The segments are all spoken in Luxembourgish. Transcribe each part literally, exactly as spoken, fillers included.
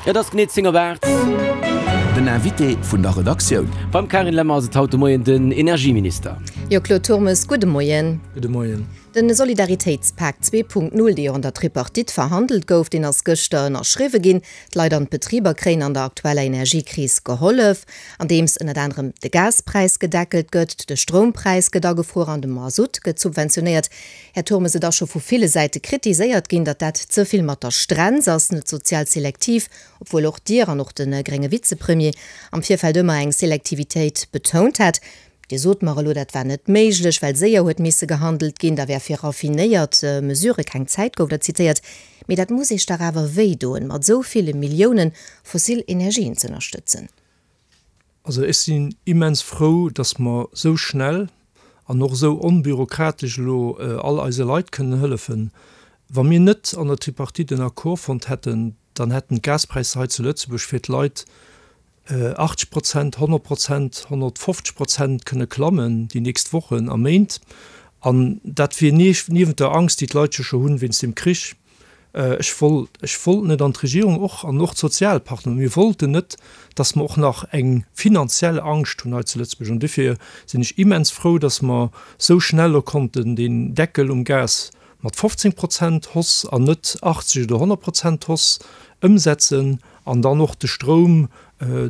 Et ass genee zéng op aacht. Den Invité vun der Redaktioun. Beim Carine Lemmer ass et haut de Moien den Energieminister. Jo, Claude Turmes, gudde Moien. Gudde Moien. De Solidaritéitspak zwee Punkt null, dee jo an der Tripartite verhandelt gouf, deen ass gëschter ënnerschriwwe ginn. D'Leit an d'Betriber kréien an der aktueller Energiekris gehollef, andeems ënnert anerem de Gaspräis gedeckelt gëtt, de Stroumpräis gëtt agefruer an de Masutt gëtt subventionéiert. Här Turmes, et ass scho vu ville Säite kritiséiert ginn, datt dat ze vill mat der Strenz ass, net sozial selektiv, obwuel och Dir an och de grénge Vizepremier am Virfeld ëmmer eng Selektivitéit betount hat. Dir sot mer elo, dat war net méiglech, well séier huet misse gehandelt ginn, da wär fir raffinéiert Mesurë keng Zäit, gouf der zitéiert. Mee dat muss Iech dach awer wéi doen, mat esou ville Millioune fossil Energien z'ënnerstëtzen. Also ech sinn immens frou, datt mer esou schnell an och esou onbürokratesch elo all eise Leit kënnen hëllefen. Wa mir net an der Tripartite en Accord fonnt hätten, dann hätten d'Gaspräisser hei zu Lëtzebuerg fir d'Leit achtzeg Prozent, honnert Prozent, honnertfofzeg Prozent kënne klammen déi nächst Wochen a Méint. An dat wier niewent der Angst, déi d'Leit jo scho hunn wéinst dem Krich. Ech wollt, ech wollt net, an d'Regierung och, an och d'Sozialpartner, mir wollten net, datt mer och nach eng finanziell Angscht hunn hei zu Lëtzebuerg. An dofir sinn ech immens frou, datt mer esou schnell elo konnten deen Deckel um Gas mat fofzéng Prozent Hausse an net achtzeg oder honnert Prozent Hausse ëmsetzen an dann och de Stroum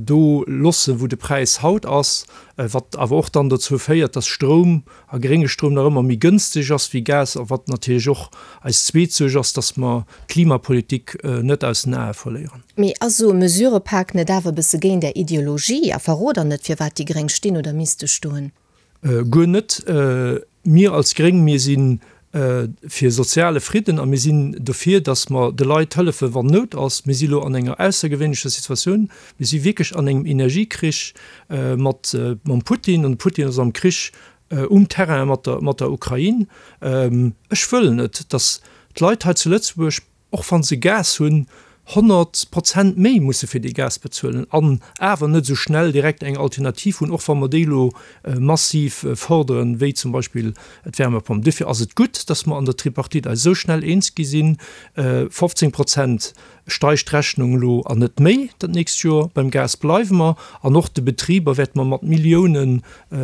do loossen, wou de Präis haut ass, wat awer och dann dozou féiert, dass Stroum a grénge Stroum nach ëmmer méi gënsteg ass wéi Gas a wat natierlech och eis zweet Suerg ass, dass mer d'Klimapolitik net aus den Ae verléieren. Mee ass esou e Mesurepak net awer e bësse géint Är Ideologie a verrot Der net, firwat déi Gréng stinn oder misste stoen? Guer net. Mir als Gréng, mir si fir soziale Fridden a mir sinn dofir, datt mer de Leit hëllefen, wann Nout ass. Mir si elo an enger aussergewéinlecher Situatioun. Mir si wierklech an engem Energiekrich mat mam Putin an de Putin ass am Krich um Terrain mat der mat der Ukrain. Ech wëll net, datt d'Leit hei zu Lëtzebuerg, och wa se Gas hunn, honnert Prozent méi musse fir dee Gas bezuelen an awer net esou schnell direkt eng Alternativ hunn, och wa mer déi elo massiv fërderen, wéi zum Beispill d'Wärmepomp. Duerfir ass et gutt, dass mer an der Tripartite eis esou schnell eens gi sinn, fofzéng Prozent steigt d'Rechnung elo an net méi dat nächst Joer. Beim Gas bleiwe mer an och de Betriber wäerte mer mat Milliounen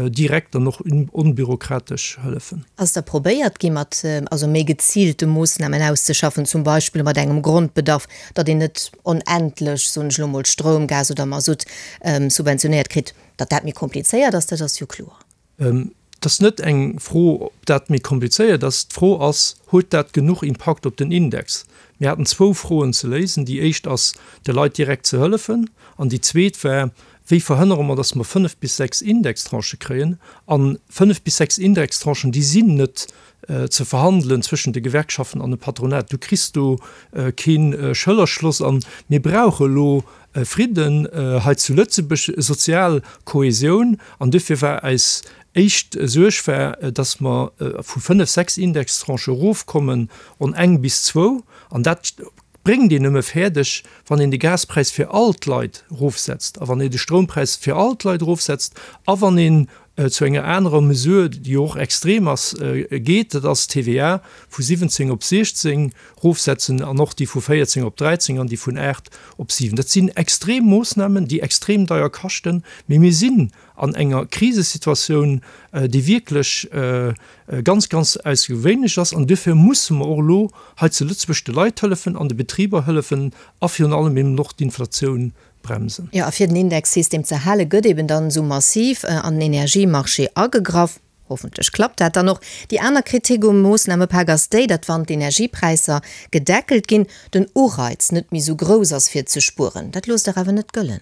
direkt an och onbürokratesch hëllefen. Ass da probéiert gi mat also méi geziilte Moossnamen auszeschaffen, zum Beispill mat engem Grondbedarf, datt een net onendlech, soen ech elo mol, Stroum, Gas oder Masutt subventionéiert kritt? Datt dat méi komplizéiert ass, dat ass jo kloer. Et ass net eng Fro, ob dat méi komplizéiert ass. D'Fro ass, Huet dat genuch Impakt op den Index? Mir haten zwou Froen ze léisen. Déi éischt ass, de Leit direkt ze hëllefen. An déi zweet war, Wéi verhënnere mer, datt mer fënnef bis sechs Indextranchë kréien? A fënnef bis sechs Indextranchen, déi sinn net ze verhandelen zwëschen de Gewerkschaften an dem Patronat. Du kriss do kee Schëllerschloss. A mir brauche elo Fridden hei zu Lëtzebuerg, sozial Kohäsioun. An duerfir war eis éischt Suerg war, datt mer vu fënnef, sechs Indextranchë erofkommen on eng bis zwou. An dat bréngt een nëmme fäerdeg, wann een de Gaspräis fir all d'Leit erofsetzt a wann een de Stroumpräis fir all d'Leit erofsetzt a wann een zu enger anerer Mesure, déi jo och extrem ass, geet, dat ass d'T V A vu siwwenzéng op siechzéng erofsetzen an och déi vu véierzéng op dräizéng an déi vun aacht op siwen. Dat sinn extrem Moossnamen, déi extrem deier kaschten, mee mir sinn an enger Krisesituatioun, déi wierklech ganz, ganz aussergewéinlech ass. An duerfir musse mer och elo hei zu Lëtzebuerg de Leit hëllefen an de Betriber hëllefen a virun allem eben och d'Inflatioun bremsen. Jo, a fir den Indexsystem ze hale gëtt eben dann esou massiv an den Energiemarché agegraff. Hoffentlech klappt dat dann och. Déi aner Kritik um Moossnamepak ass déi, datt wann d'Energiepräisser gedeckelt ginn, den Ureiz net méi esou grouss ass fir ze spueren. Dat loosst Der awer net gëllen.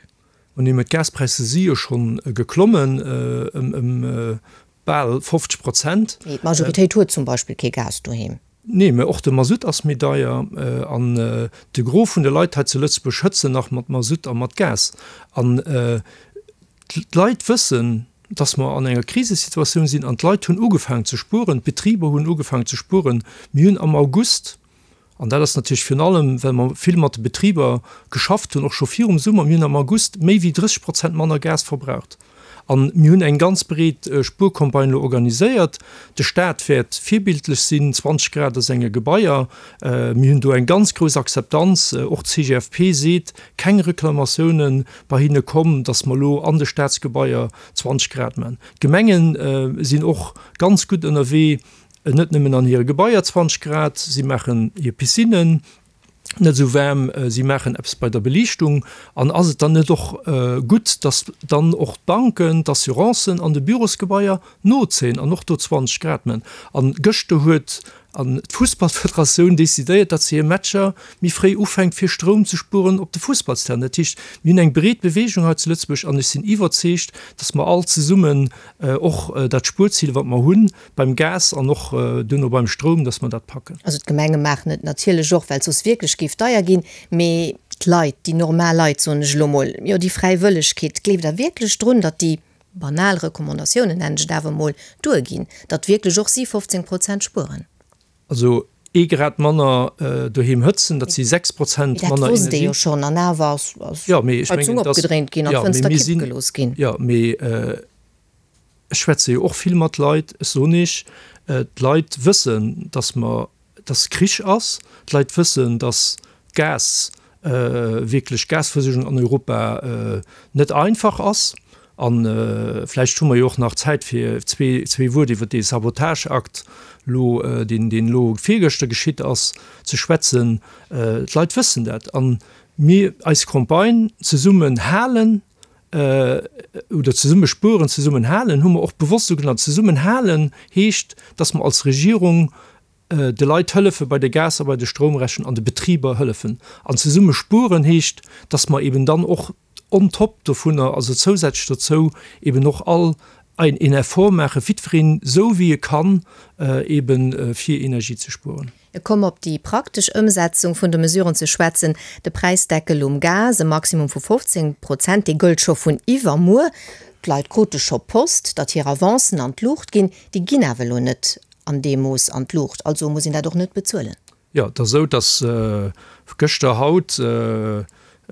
Mä d'Gaspräisser si jo schonn geklommen ëm bal fofzeg Prozent. Mee d'Majoritéit huet zum Beispill kee Gas doheem. Nee, mä och de Masutt ass méi deier. An de Gros vun de Leit hei zu Lëtzebuerg hëtzen nach mat Masutt a mat Gas. An d'Leit wëssen, dass mer an enger Krisesituatioun sinn. An d'Leit hunn ugefaangen ze spueren, d'Betriber hunn ugefaangen ze spueren. Mir hunn am August, an dat ass natierlech virun allem, well mer vill mat de Betriber geschafft hunn, och scho virum Summer, mir hunn am August méi wéi drësseg Prozent manner Gas verbraucht. An mir hunn eng ganz breet Spuercampagne elo organiséiert. De Staat wäert virbildlech sinn, zwanzeg Grad a senge Gebaier. Mir hunn do eng ganz grouss Akzeptanz. Och d'CGFP seet, keng Reklamatioune bei hinne komm, datt mer elo an de Staatsgebaier zwanzeg Grad man. D'Gemenge sinn och ganz gutt ënnerwee, net nëmmen an hire Gebaier zwanzeg Grad, si maachen hir Piscinnen net esou waarm, si maachen eppes bei der Beliichtung. An ass et dann net och gutt, datt dann och d'Banken, d'Assurancen an de Bürosgebaier nozéien an och do zwanzeg Grad man? An gëschter huet d'Fussballfederatioun decidéiert, datt se hir Matcher méi fréi ufänkt, fir Stroum ze spueren op de Fussballsterrainen. Dat heescht, mir hunn eng breet Beweegung hei zu Lëtzebuerg an ech sinn iwwerzeegt, datt mer all zesummen och dat Spuerzil, wat mer hunn beim Gas an och duerno beim Stroum, datt mer dat packen. Also d'Gemenge maachen et natierlech och, well et soss wierklech géif deier ginn. Mee d'Leit, déi normal Leit, soen ech elo mol, jo déi Fräiwëllegkeet, gleeft Der wierklech drun, datt déi banal Recommandatiounen, nennen ech et awer emol, duerginn, datt wierklech och si fofzéng Prozent spueren? Also ee Grad manner doheem hëtzen, dat si sechs Prozent manner Energie. Dat wosst ee jo schonn, an awer ass d'Heizung opgedréint ginn an d'Fënster kipp gelooss ginn. Jo, mee ech schwätze jo och vill mat Leit. Ech soen Iech, d'Leit wëssen, datt mer, datt Krich ass. D'Leit wëssen, datt d'Gas, wierklech d'Gasversuergung an Europa net einfach ass. A vläicht hu mer jo och nach Zäit fir zwee, zwee Wuert iwwer dee Sabotageakt elo, deen, deen elo virgëschter geschitt ass, ze schwätzen. D'Leit wëssen dat. A mir, eis Campagne Zesummen halen oder Zesumme spueren, zesummen halen hu mer och bewosst esou genannt. Zesummen halen heescht, dass mer als Regierung de Leit hëllefe bei de Gas a bei de Stroumrechnungen an de Betriber hëllefen. An zesumme spueren heescht, dass mer eben dann och on top dovunner, also zousätzlech dozou, eben och all ein een Effort maachen, jiddwereen esou wéi e kann, eben fir Energie ze spueren. Et komm op déi praktesch Ëmsetzung vun de Mesuren ze schwätzen. De Präisdeckel um Gas, e Maximum vu fofzéng Prozent, dee gëllt scho vun iwwermuer. D'Leit krute scho Post, datt hir Avancen an d'Luucht ginn. Déi ginn awer elo net an deem Mooss an d'Luucht, also muss een dat och net bezuelen. Jo, et ass esou, datt gëschter, haut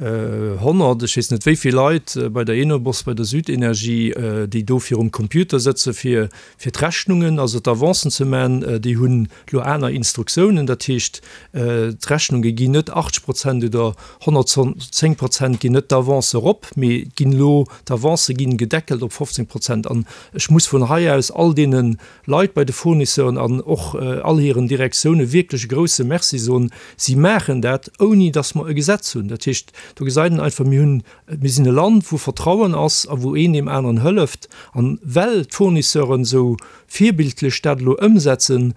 honnert, ech weess net wéi vill Leit bei der Enobos, bei der Südenergie, déi do virum Computer sëtze fir fir d'Rechnungen, also d'Avancen ze man, déi hunn elo aner Instruktiounen. Dat heescht, d'Rechnunge ginn net achtzeg Prozent oder honnertzéng Prozent ginn net d'Avance erop, mee ginn elo, d'Avancë ginn gedeckelt op fofzéng Prozent. An ech muss vun hei aus all deene Leit bei de Fournisseuren an och all hiren Direktioune wierklech e grouse Merci soen. Si maachen dat, ouni datt mer e Gesetz hunn. Dat heescht, do gesäit een einfach, mir hunn, mir sinn e Land, wou Vertrauen ass a wou een deem aneren hëlleft. An well d'Fournisseuren esou virbildlech dat elo ëmsetzen,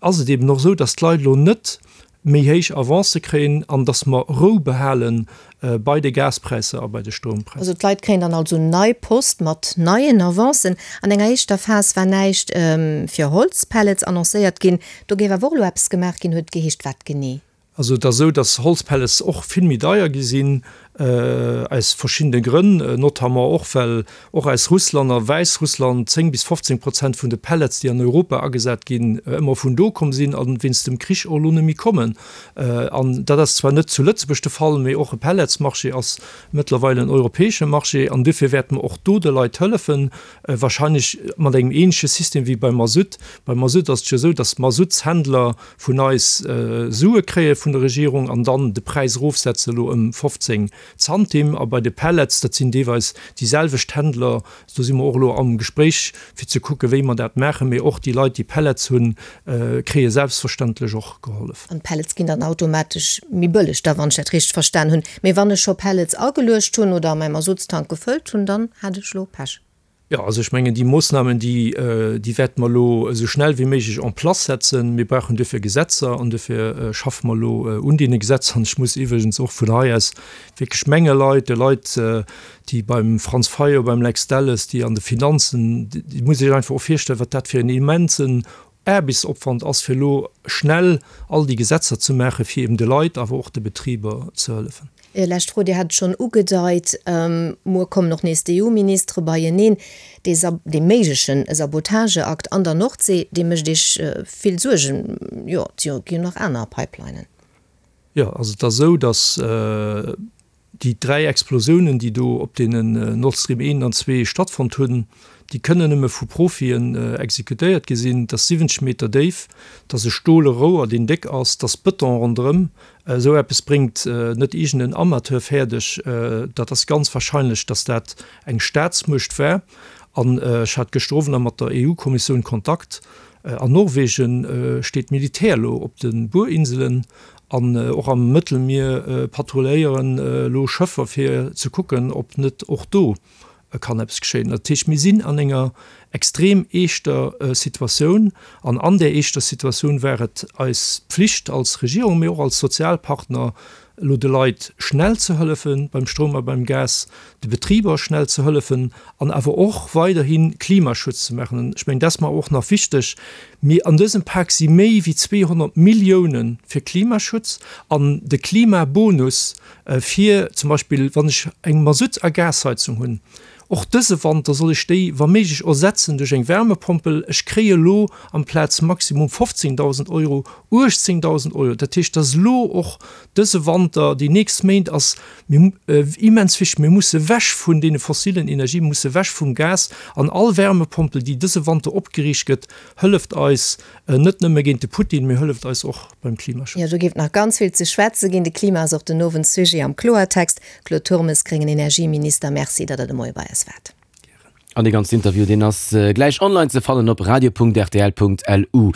ass et eben och esou, datt d'Leit elo net méi héich Avancë kréien an datt mer Rou behale bei de Gaspräisser a bei de Stroumpräisser. Also d'Leit kréien dann also nei Post mat neien Avancen. An enger éischter Phas war näischt fir Holzpellets annoncéiert ginn. Do géif awer och elo eppes gemaach ginn, huet et geheescht. Wat genee? Also et ass esou, datt Holzpellets och vill méi deier gi sinn, aus verschiddene Grënn, notamment och well och aus Russland a Wäissrussland zéng bis fofzéng Prozent vun de Pellets, déi an Europa agesat ginn, ëmmer vun do komm sinn a wéinst dem Krich och elo net méi kommen. An dat ass zwar net zu Lëtzebuerg de Fall, mee och e Pelletsmarché ass mëttlerweil en europäesche Marché an duerfir wäerte mer och do de Leit hëllefen, wahrscheinlech mat engem ähnleche System wéi beim Masutt. Beim Masutt ass et jo esou, datt d'Masuttshändler vun eis Sue kréie vun der Regierung an dann de Präis erofsetze elo ëm fofzéng Zantim. A bei de Pellets, dat sinn deelweis déi selwecht Händler, do si mer och elo am Gespréich fir ze kucke wéi mer dat maachen. Mee och déi Leit, déi Pellets hunn, kréie selbstverständlech och gehollef. An d'Pellets ginn dann automatesch méi bëlleg da, wann ech dat richteg verstan hunn. Mee wann ech scho Pellets ageluecht hunn oder mäi Masuttstank gefëllt hunn, dann hat ech elo Pech. Jo, also ech mengen, déi Moossnamen, déi, déi wäerte mer elo esou schnell wéi méiglech en place setzen. Mir brauchen duerfir Gesetzer an duerfir schaffe mer elo un deene Gesetzer. An ech muss iwwregens och vun hei aus wierklech menge Leit, de Leit, déi beim Franz Fayot, beim Lex Delles, déi an de Finanzen, déi muss sech einfach och virstellen, wat dat fir en immensen Aarbechtsopwand ass, fir elo schnell all déi Gesetzer ze maachen, fir eben de Leit, awer och de Betriber ze hëllefen. Lescht Fro, Dir hat et schonn ugedeit, muer kommen och nees d'EU-Ministere beieneen. Dee dee méigleche Sabotageakt an der Nordsee, dee mécht Iech vill Suergen. Jo, et gi jo nach aner Pipelinen. Jo, also et ass esou, datt Déi dräi Explosiounen, déi do op deenen Nord Stream eent an zwee stattfonnt hunn, déi kënnen nëmme vu Profien exekutéiert gi sinn. Dat ass siwwenzeg Meter déif, dat ass e stole Rouer, deen déck ass, dat ass Bëton ronderëm. Esou eppes bréngt net iergend en Amateur fäerdeg. Dat ass ganz wahrscheinlech, datt dat eng Staatsmuecht war. An ech hat gëschter Owend nach mat der EU-Kommissioun Kontakt. An Norwegen steet d'Militär elo op de Buerinselen an och am Mëttelmier patrulléieren elo Schëffer fir ze kucken, ob net och do kann eppes geschéien. Dat heescht, mir sinn an enger extrem eeschter Situatioun an an där eeschter Situatioun war et eis Pflicht als Regierung, mee och als Sozialpartner, elo de Leit schnell ze hëllefe beim Stroum a beim Gas, de Betriber schnell ze hëllefen an awer och weiderhi Klimaschutz ze maachen. An ech mengen, dat ass mer och nach wichteg, Mir an dësem Pak si méi wéi zweehonnert Millioune fir Klimaschutz an de Klimabonus fir zum Beispill, wann ech eng Masutt a Gasheizung hunn, och dëse Wanter soll ech déi wa méiglech ersetzen duerch eng Wärmepompel. Ech kréie elo amplaz maximum fofzéngdausend Euro uechtzéngdausend Euro. Dat heescht, dass elo och dëse Wanter, déi nächst Méint ass mir immens wichteg, mir musse ewech vun deene fossilen Energien, mir musse ewech vum Gas an all Wärmepompel, déi dëse Wanter opgeriicht gëtt, hëlleft eis net nëmme géint de Putin, mee hëlleft eis och beim Klimaschutz. Jo, do géif nach ganz vill ze schwätze ginn. De Klima ass och den Owend Sujet am Kloertext. Claude Turmes, gréngen Energieminister, Merci, datt Der de Moie bei eis waart. An dee ganzen Interview, deen ass gläich online ze fannen op radio.rtl.lu.